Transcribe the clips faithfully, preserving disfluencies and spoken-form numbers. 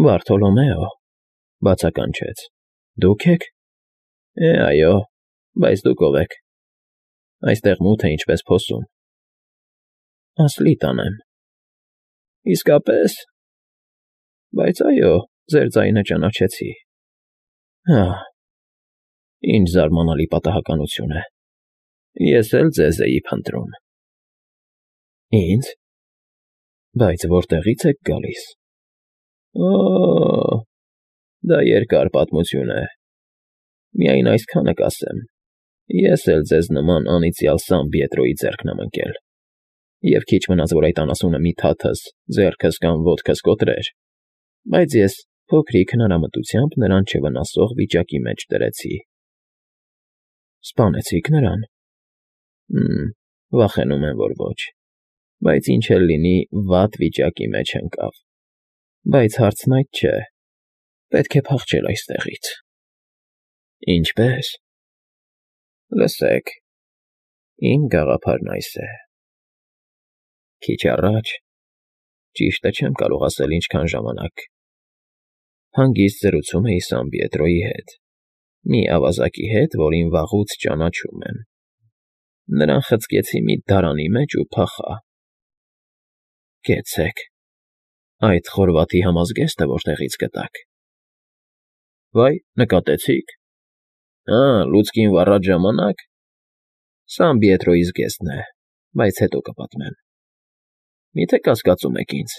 Բարթոլոմեո,֊ բացականչեց,֊ դուք ե՞ք։ Է, այո, բայց դուք ո՞վ եք։ Այստեղ մութ է ինչպես փոսում։ Ասլի տանեմ։ Իսկապե՞ս։ Բայց այո, ձեր ձայնը ճանաչեցի։ Հա՜, ինչ զարմանալի պատահականություն է։ Ես էլ ձեզ էի փնտրում։ Ի՞նձ։ Բայց որտեղի՞ց եք գալիս։ Օ՜օ, դա երկար պատմություն է։ Միայն այսքանը կասեմ. ես էլ ձեզ նման անիծյալ Սան Պիետրոյի ձեռքն եմ ընկել, և քիչ մնաց, որ այդ անասունը մի թաթս ձեռքս կամ ոտքս կոտրեր, բայց ես փոքրիկ հնարամտությամբ նրան չվնասող վիճակի մեջ դրեցի։ Սպանեցի՞ք նրան։ Հը՛մ, վախենում եմ, որ ոչ, բայց ինչ էլ լինի, վատ վիճակի մեջ ընկավ։ Բայց հարցն այդ չէ, պետք է փախչել այստեղից։ Ինչպե՞ս։ Լսեք, իմ գաղափարն այս է. քիչ առաջ, ճիշտը չեմ կարող ասել ինչքան ժամանակ, հանգիստ զրուցում էի Սան Պիետրոյի հետ, մի ավազակի հետ, որին վաղուց ճանաչում եմ։ Նրան խցկեցի մի դարանի մեջ ու փախա։ Կեցեք, այդ խորվաթի համազգեստը որտեղի՞ց գտաք։ Վայ, նկատեցի՞ք։ Հա, լուցկին վառած ժամանակ։ Սան Պիետրոյի զգեստն է, բայց հետո կպատմեմ։ Մի՞թե կասկածում եք ինձ։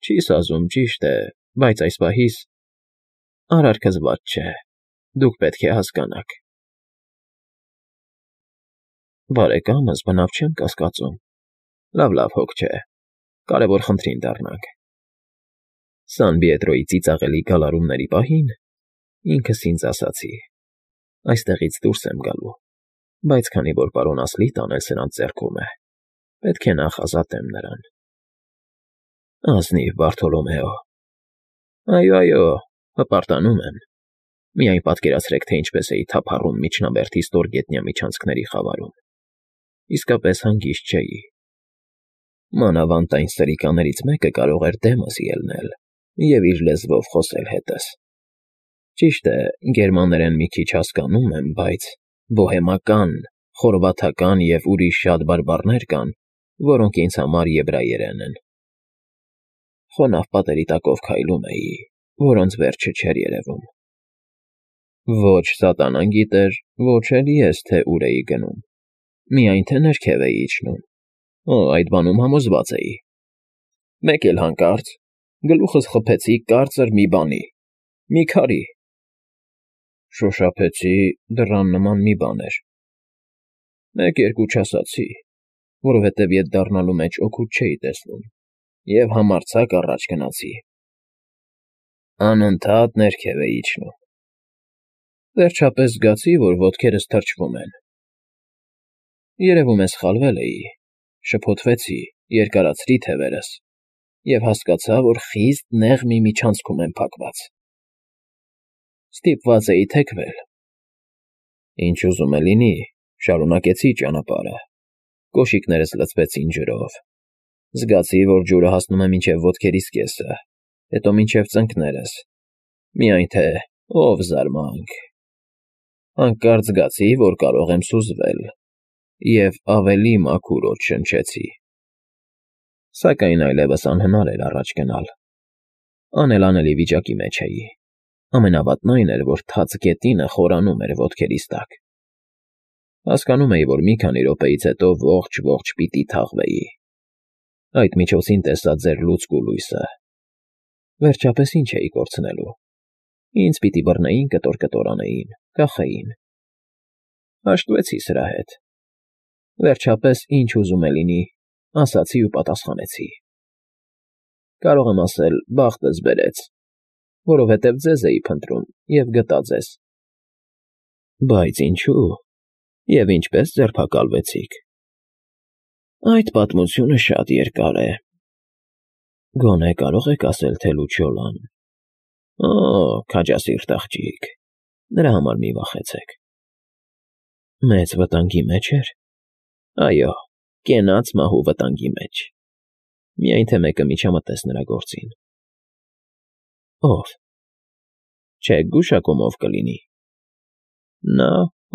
Չի սազում, ճիշտ է, բայց այս պահիս արարքս վատ չէ, դուք պետք է հասկանաք։ Բարեկամս բնավ չեմ կասկածում։ Լավ, լավ, հոգ չէ, կարևոր խնդրին դառնանք։ Սան Պիետրոյի ծիծաղելի գալարումների պահին ինքս ինձ ասացի. այստեղից դուրս եմ գալու, բայց քանի որ պարոն Ասլիտան էլ սրանց ձեռքում է, պետք է նախ ազատեմ նրան։ Ազնիվ Բարթոլոմեո։ Այո, այո, հպարտանում եմ։ Միայն պատկերացրեք, թե ինչպես էի թափառում միջնաբերդի ստորգետնյա միջանցքների խավարում։ Իսկապես հանգիստ չէի։ Մանավանդ այն սրիկաներից մեկը կարող էր դեմս ելնել և իր լեզվով խոսել հետս։ Ճիշտ է, գերմաներեն մի քիչ հասկանում եմ, բայց բոհեմական, խորվաթական և ուրիշ շատ բարբառներ կան, որոնք ինձ համար եբրայերեն են։ Խոնավ պատերի տակով քայլում էի, որոնց վերջը չէր երևում։ Ոչ սատանան գիտեր, ոչ էլ ես, թե ուր էի գնում, միայն թե ներքև էի իջնում։ Օ, այդ բանում համոզված էի։ Մեկ էլ հանկարծ գլուխս խփեցի կարծր մի բանի, մի քարի։ Շոշափեցի, դռան նման մի բան էր։ Մեկ֊երկու չասացի, որովհետև ետ դառնալու մեջ օգուտ չէի տեսնում, և համարձակ առաջ գնացի։ Անընդհատ ներքև էի իջնում։ Վերջապես զգացի, որ ոտքերս թրջվում են։ Երևում է սխալվել էի, շփոթվեցի, երկարացրի թևերս և հասկացա, որ խիստ նեղ մի միջանցքում եմ փակված։ Ստիպված էի թեքվել։ Ինչ ուզում է լինի, շարունակեցի ճանապարհը։ Կոշիկներս լցվեցին ջրով։ Զգացի, որ ջուրը հասնում է մինչև ոտքերիս կեսը, հետո մինչև ծնկներս։ Միայն թե ով զարմանք… Հանկարծ զգացի, որ կարող եմ սուզվել, և ավելի մաքուր օդ շնչեցի։ Սակայն այլևս անհնար էր առաջ գնալ։ Անելանելի վիճակի մեջ էի։ Ամենավատն այն էր, որ թաց գետինը խորանում էր ոտքերիս տակ։ Հասկանում էի, որ մի քանի րոպեից հետո ողջ֊ողջ պիտի թաղվեի։ Այդ միջոցին տեսա ձեր լուցկ ու լույսը։ Վերջապես ի՞նչ էի կորցնելու։ Ինձ պիտի բռնեին, կտոր֊կտոր անեին, կախեին։ Հաշտվեցի սրա հետ։ Վերջապես, ինչ ուզում է լինի, ասացի ու պատասխանեցի։ Կարող եմ ասել, բախտս բերեց, որովհետև ձեզ էի փնտրում և գտա ձեզ։ Բայց ինչո՞ւ, և ինչպե՞ս ձերբակալվեցիք։ Այդ պատմությունը շատ երկար է։ Գոնե կարող եք ասել, թե Լուչիոլան… Օ, քաջասիրտ աղջիկ, նրա համար մի վախեցեք։ Մեծ վտանգի մեջ էր։ Այո, կենաց մահու վտանգի մեջ։ Միայն թե մեկը միջամտեց նրա գործին։ Ո՞վ։ Չէ, գուշակում ով կլինի։ Նա,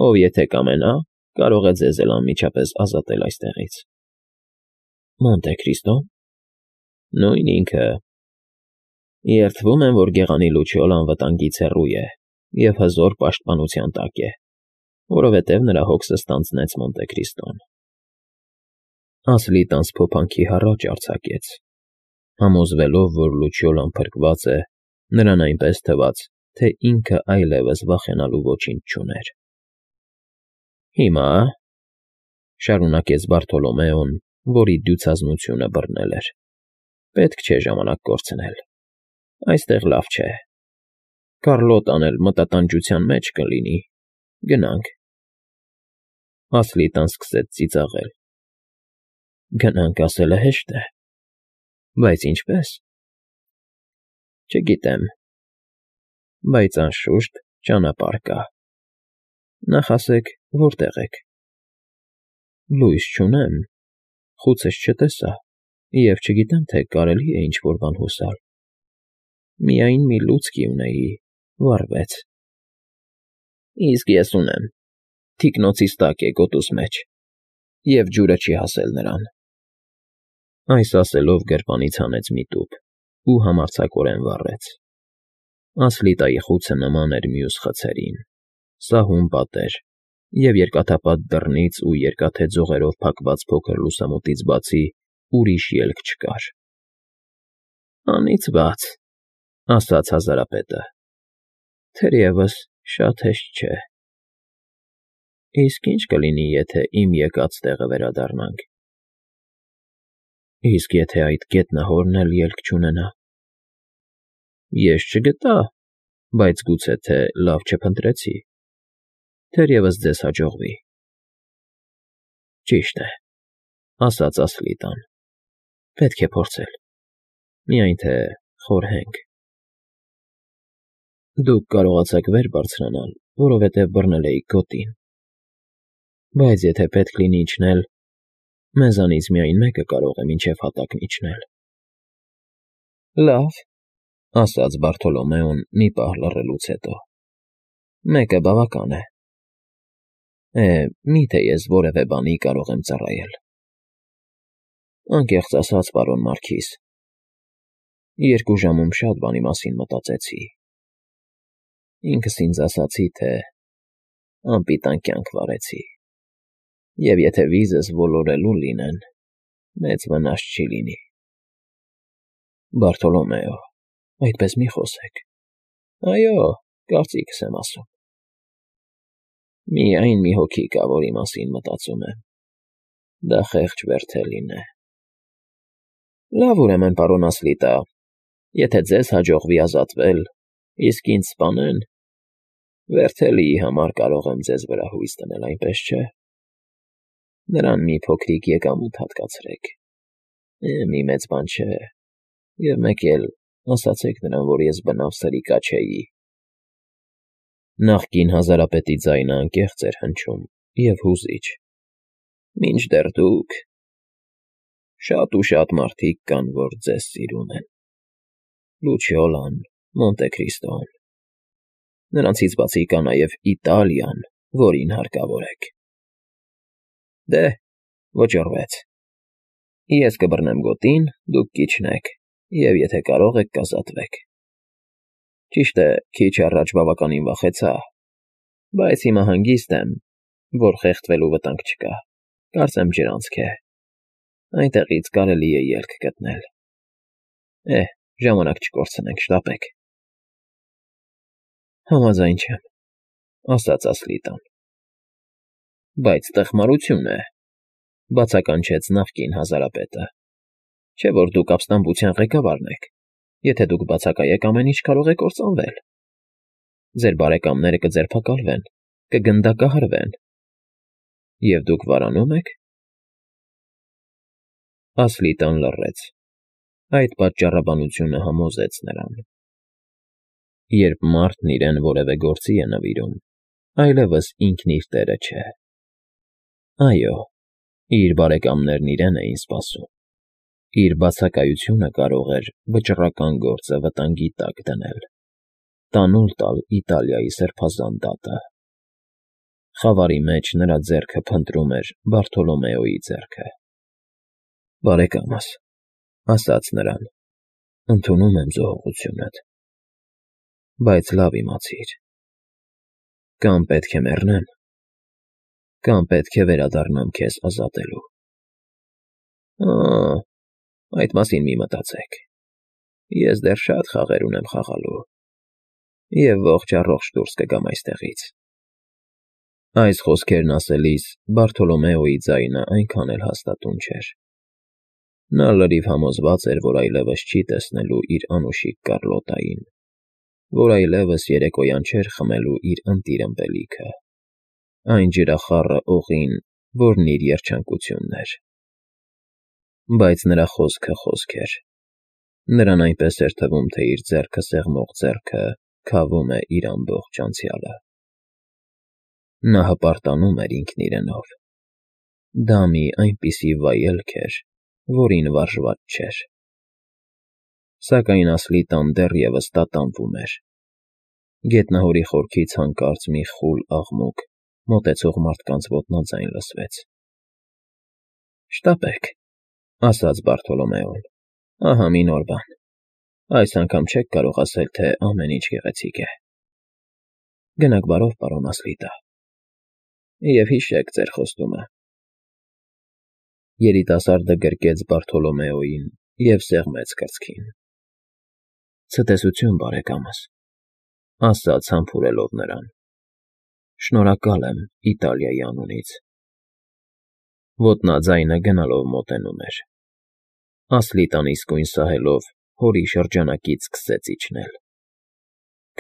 ով եթե կամենա, կարող է ձեզ էլ անմիջապես ազատել այստեղից։ Մոնտե Քրիստո՞ն։ Նույն ինքը։ Երդվում եմ, որ գեղանի Լուչիոն անվտանգից հեռու է և հզոր պաշտպանության տակ է, որովհետև նրա հոգսը ստանձնեց Մոնտե Քրիստոն։ Ասլիտան սփոփանքի հառաչ արձակեց, համոզվելով, որ Լուչիոն փրկված է, նրան այնպես թվաց, թե ինքը այլևս վախենալու ոչինչ չուներ։ Հիմա,֊ շարունակեց Բարթոլոմեոն, որի դյուցազնությունը բռնել էր,֊ պետք չէ ժամանակ կորցնել, այստեղ լավ չէ, Կառլոտան էլ մտատանջության մեջ կլինի, գնանք… Ասլիտան սկսեց ծիծաղել։ Գնանք ասելը հեշտ է, բայց ինչպե՞ս։ Չգիտեմ, բայց անշուշտ ճանապարհ կա։ Նախ ասեք, որտե՞ղ եք։ Լույս չունեմ, խուցս չտեսա և չգիտեմ, թե կարելի է ինչ֊որ բան հուսալ։ Միայն մի լուցկի ունեի, վառվեց։ Իսկ ես ունեմ, թիկնոցիս տակ է, գոտուս մեջ, և ջուրը չի հասել նրան։ Այս ասելով գրպանից հանեց մի տուփ ու համարձակորեն վառեց։ Ասլիտայի խուցը նման էր մյուս խցերին, սահուն պատեր, և երկաթափատ դռնից ու երկաթե ձողերով փակված փոքր լուսամուտից բացի ուրիշ ելք չկար։ Անիծված,֊ ասաց հազարապետը,֊ թերևս շատ հեշտ չէ։ Իսկ ի՞նչ կլինի, եթե իմ եկած տեղը վերադառնանք։ Իսկ եթե այդ գետնահորն էլ ելք չունենա։ Ես չգտա, բայց գուցե թե լավ չփնտրեցի, թերևս ձեզ հաջողվի։ Ճիշտ է,֊ ասաց Ասլիտան,֊ պետք է փորձել, միայն թե խորհենք։ Դուք կարողացաք վեր բարձրանալ, որովհետև բռնել էիք գոտին, բայց եթե պետք լինի իջնել, մեզանից միայն մեկը կարող է մինչև հատակն իջնել։ Լավ,֊ ասաց Բարթոլոմեոն մի պահ լռելուց հետո,֊ մեկը բավական է։ Է, մի՞թե ես որևէ բանի կարող եմ ծառայել։ Անկեղծ ասած, պարոն Մարքիզ, երկու ժամում շատ բանի մասին մտածեցի։ Ինքս ինձ ասացի, թե անպիտան կյանք վարեցի, և եթե վիզս ոլորելու լինեն, մեծ վնաս չի լինի։ Բարթոլոմեո, այդպես մի խոսեք։ Այո, կարծիքս եմ ասում։ Միայն մի հոգի կա, որի մասին մտածում եմ. դա խեղճ Բերթելին է։ Լավ, ուրեմն, պարոն Ասլիտա, եթե ձեզ հաջողվի ազատվել, իսկ ինձ սպանեն, Բերթելիի համար կարող եմ ձեզ վրա հույս դնել, այնպես չէ։ Նրան մի փոքրիկ եկամուտ հատկացրեք, մի մեծ բան չէ, և մեկ էլ ասացեք նրան, որ ես բնավ սրիկա չէի։ Նախկին հազարապետի ձայնը անկեղծ էր հնչում և հուզիչ։ Մինչդեռ դուք… Շատ ու շատ մարդիկ կան, որ ձեզ սիրում են. Լուչիոն, Մոնտե Քրիստոն… Նրանցից բացի կա նաև Իտալիան, որին հարկավոր եք։ Դե, վճռվեց։ Ես կբռնեմ գոտին, դուք կիջնեք, և եթե կարող եք, կազատվեք։ Ճիշտ է, քիչ առաջ բավականին վախեցա, բայց հիմա հանգիստ եմ, որ խեղդվելու վտանգ չկա, կարծեմ ջրանցք է, այնտեղից կարելի է ելք գտնել։ Է, ժամանակ չկորցնենք, շտապեք։ Համաձայն չեմ,֊ ասաց Ասլիտան։ Բայց տխմարություն է,֊ բացականչեց նախկին հազարապետը, չէ՞ որ դուք ապստամբության ղեկավարն եք, եթե դուք բացակայեք, ամեն ինչ կարող է կործանվել։ Ձեր բարեկամները կձերբակալվեն, կգնդակահարվեն։ Եվ դուք վարանում եք… Ասլիտան լռեց։ Այդ պատճառաբանությունը համոզեց նրան։ Երբ մարդն իրեն որևէ գործի է նվիրում, այլևս ինքն իր տերը չէ։ Այո, իր բարեկամներն իրեն էին սպասում, Իր բացակայությունը կարող էր վճռական գործը վտանգի տակ դնել, տանուլ տալ Իտալիայի սրբազան դատը։ Խավարի մեջ նրա ձեռքը փնտրում էր Բարթոլոմեոյի ձեռքը։ «Բարեկամս,» ասաց նրան, «ընդունում եմ զոհողությունդ, բայց լավ իմացիր. կամ պետք է մեռնեմ, կամ պետք է վերադառնամ քեզ ազատելու»։ «Օ՜, այդ մասին մի մտածեք, ես դեռ շատ խաղեր ունեմ խաղալու և ողջ֊առողջ դուրս կգամ այստեղից»։ Այս խոսքերն ասելիս Բարթոլոմեոյի ձայնը այնքան էլ հաստատուն չէր։ Նա լրիվ համոզված էր, որ այլևս չի տեսնելու իր անուշիկ Կառլոտային, որ այլևս երեկոյան չէր խմելու իր ընտիր ըմպելիքը, այն ջրախառը օղին, որն իր երջանկությունն էր։ Բայց նրա խոսքը խոսք էր։ Նրան այնպես էր թվում, թե իր ձեռքը սեղմող ձեռքը քավում է իր ամբողջ անցյալը։ Նա հպարտանում էր ինքն իրենով։ Դա մի այնպիսի վայելք էր, որին վարժված չէր։ Սակայն Ասլիտան դեռևս տատանվում էր։ Գետնահորի խորքից հանկարծ մի խուլ աղմուկ, մոտեցող մարդկանց ոտնաձայն լսվեց։ «Շտապեք», ասաց Բարթոլոմեոն, «ահա մի նոր բան։ Այս անգամ չեք կարող ասել, թե ամեն ինչ գեղեցիկ է։ Գնաք բարով, պարոն Ասլիտա, և հիշեք ձեր խոստումը»։ Երիտասարդը գրկեց Բարթոլոմեոյին և սեղմեց կրծքին։ «Ցտեսություն, բարեկամս», ասաց համբուրելով նրան, «շնորհակալ եմ Իտալիայի անունից»։ Ոտնաձայնը գնալով մոտենում էր։ Ասլիտան իսկույն սահելով հորի շրջանակից սկսեց իջնել։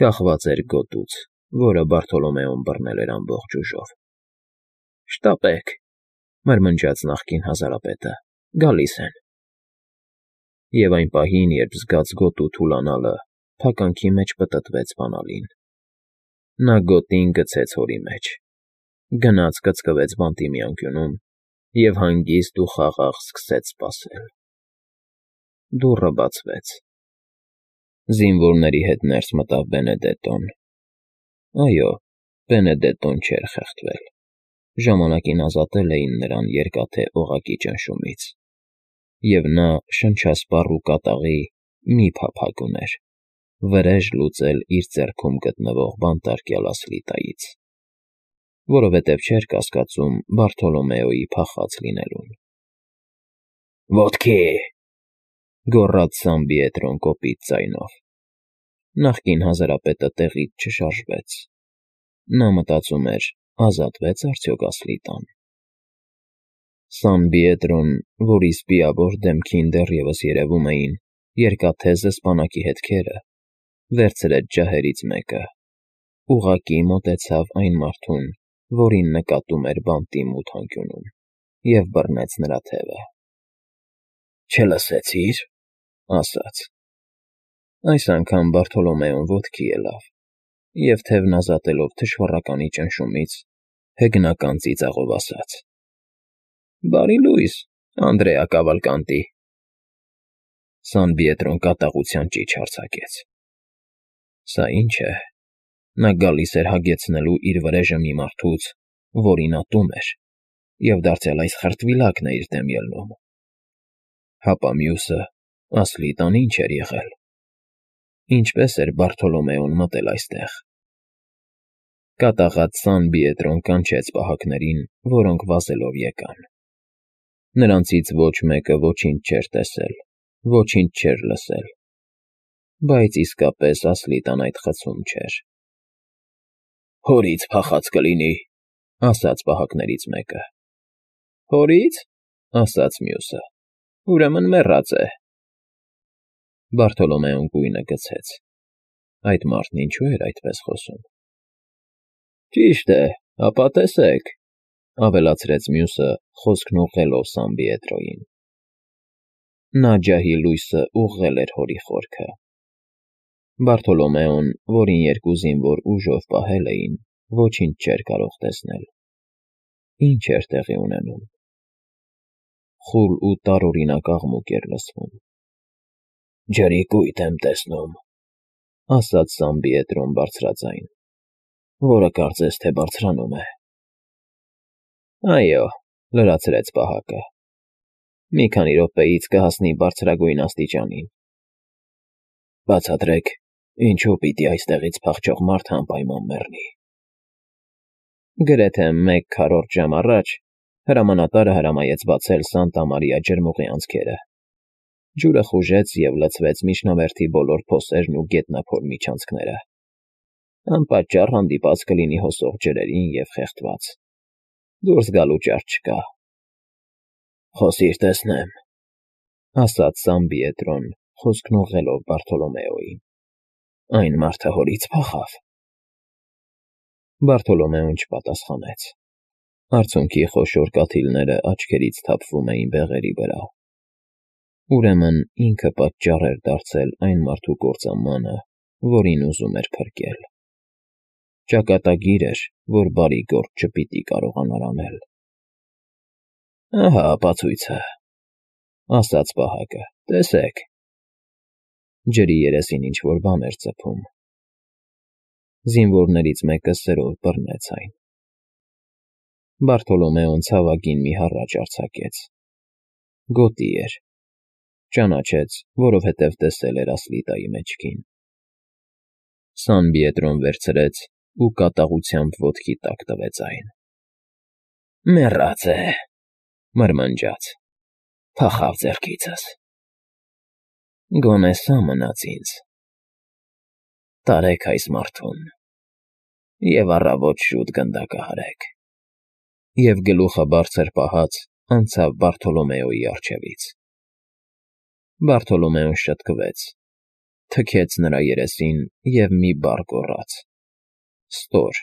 Կախված էր գոտուց, որը Բարթոլոմեոն բռնել էր ամբողջ ուժով։ «Շտապեք», մրմնջաց նախկին հազարապետը, «գալիս են»։ Եվ այն պահին, երբ զգաց գոտու թուլանալը, փականքի մեջ պտտվեց բանալին։ Նա գոտին գցեց հորի մեջ, գնաց կծկվեց բանտի մի անկյունում և հանգիստ ու խաղաղ սկսեց սպասել։ Դուռը բացվեց։ Զինվորների հետ ներս մտավ Բենեդետոն։ Այո, Բենեդետոն չէր խեղդվել։ Ժամանակին ազատել էին նրան Երկաթե Օղակի ճնշումից, և նա շնչասպառ ու կատաղի մի փափագ ուներ՝ վրեժ լուծել իր ձեռքում գտնվող բանտարկյալ Ասլիտայից, որովհետև չէր կասկածում Բարթոլոմեոյի փախած լինելուն։ «Ոտքի!» գոռաց Սամբիետրոն կոպիտ ձայնով։ Նախկին հազարապետը տեղից չշարժվեց։ Նա մտածում էր՝ ազատվե՞ց արդյոք Ասլիտան։ Սամբիետրոն, որի սպիավոր դեմքին դեռևս երևում էին երկաթե զսպանակի հետքերը, վերցրեց ջահերից մեկը, ուղղակի մոտեցավ այն մարդուն, որին նկատում էր բանտի մութ անկյունում, և բռնեց նրա թևը։ «Չլսեցի՞ր», ասաց։ Այս անգամ Բարթոլոմեոն ոտքի ելավ և, թևն ազատելով թշվառականի ճնշումից, հեգնական ծիծաղով ասաց. «Բարի լույս, Անդրեա Կավալկանտի»։ Սանբիետրոն կատաղության ճիչ արձակեց։ Սա ի՞նչ է։ Նա գալիս էր հագեցնելու իր վրեժը մի մարդուց, որին ատում էր, և դարձյալ այս խրտվիլակն է իր դեմ ելնում։ Հապա մյուսը՝ Ասլիտան, ի՞նչ էր եղել։ Ինչպե՞ս էր Բարթոլոմեոն մտել այստեղ։ Կատաղած Սանբիետրոն կանչեց պահակներին, որոնք վազելով եկան։ Նրանցից ոչ մեկը ոչինչ չէր տեսել, ոչինչ չէր լսել, բայց իսկապես Ասլիտան այդ խցում չէր։ «Հորից փախած կլինի», ասաց պահակներից մեկը։ «Հորից», ասաց մյուսը, «ուրեմն մեռած է»։ Բարթոլոմեոն գույնը գցեց։ Այդ մարդն ինչո՞ւ էր այդպես խոսում։ «Ճիշտ է, ապա տեսեք», ավելացրեց մյուսը, խոսքն ուղղելով Սամբիետրոյին։ Նա ջահի լույսը ուղղել էր հորի խորքը։ Բարթոլոմեոն, որին երկու զինվոր ուժով պահել էին, ոչինչ չէր կարող տեսնել։ Ի՞նչ էր տեղի ունենում։ խուլ ու տարօրինակ աղմուկ էր լսվում։ «Ջրի կույտ եմ տեսնում», ասաց Սամբիետրոն բարձրաձայն, որը կարծես թե բարձրանում է։ «Այո», լրացրեց պահակը, «մի քանի րոպեից կհասնի բարձրագույն աստիճանին»։ «Բացատրեք, ինչու պիտի այստեղից փախչող մարդը անպայման մեռնի»։ Գրեթե մեկ քառորդ ժամ առաջ հրամանատարը հրամայեց բացել Սանտա Մարիա ջրմուղի անցքերը։ Ջուրը խուժեց և լցվեց միջնավերթի բոլոր փոսերն ու գետնափոր միջանցքները։ Անպատճառ հանդիպած կլինի հոսող ջրերին և խեղդված։ Դուրս գալու ճար չկա։ «Խոսիր, տեսնեմ», ասաց Սամբիետրոն, խոսքն ուղղելով Բարթոլոմեոյին։ «Այն մարդը հորից փախավ»։ Բարթոլոմեոն չպատասխանեց։ Արցունքի խոշոր կաթիլները աչքերից թափվում էին բեղերի վրա։ Ուրեմն ինքը պատճառ էր դարձել այն մարդու կործանմանը, որին ուզում էր փրկել։ Ճակատագիր էր, որ բարի գործ չպիտի կարողանար անել։ «Ահա ապացույցը», ասաց պահակը, «տեսեք»։ Ջրի երեսին ինչ֊որ բան էր ծփում։ Զինվորներից մեկը սրով բռնեց այն։ Բարթոլոմեոն ցավագին մի հառաչ արձակեց։ Գոտի էր։ Ճանաչեց, որովհետև տեսել էր ասլիտայի մեջքին։ Սանբիետրոն վերցրեց ու կատաղությամբ ոտքի տակ տվեց այն։ «Մեռած է», մրմնջաց, «փախավ ձեռքիցս»։ «Գոնե սա մնաց ինձ։ Տարեք այս մարդուն և առավոտ շուտ գնդակահարեք»։ Եվ գլուխը բարձր պահած անցավ Բարթոլոմեոյի առջևից։ Բարթոլոմեոն շտկվեց, թքեց նրա երեսին և մի բառ գոռաց. «Ստոր»։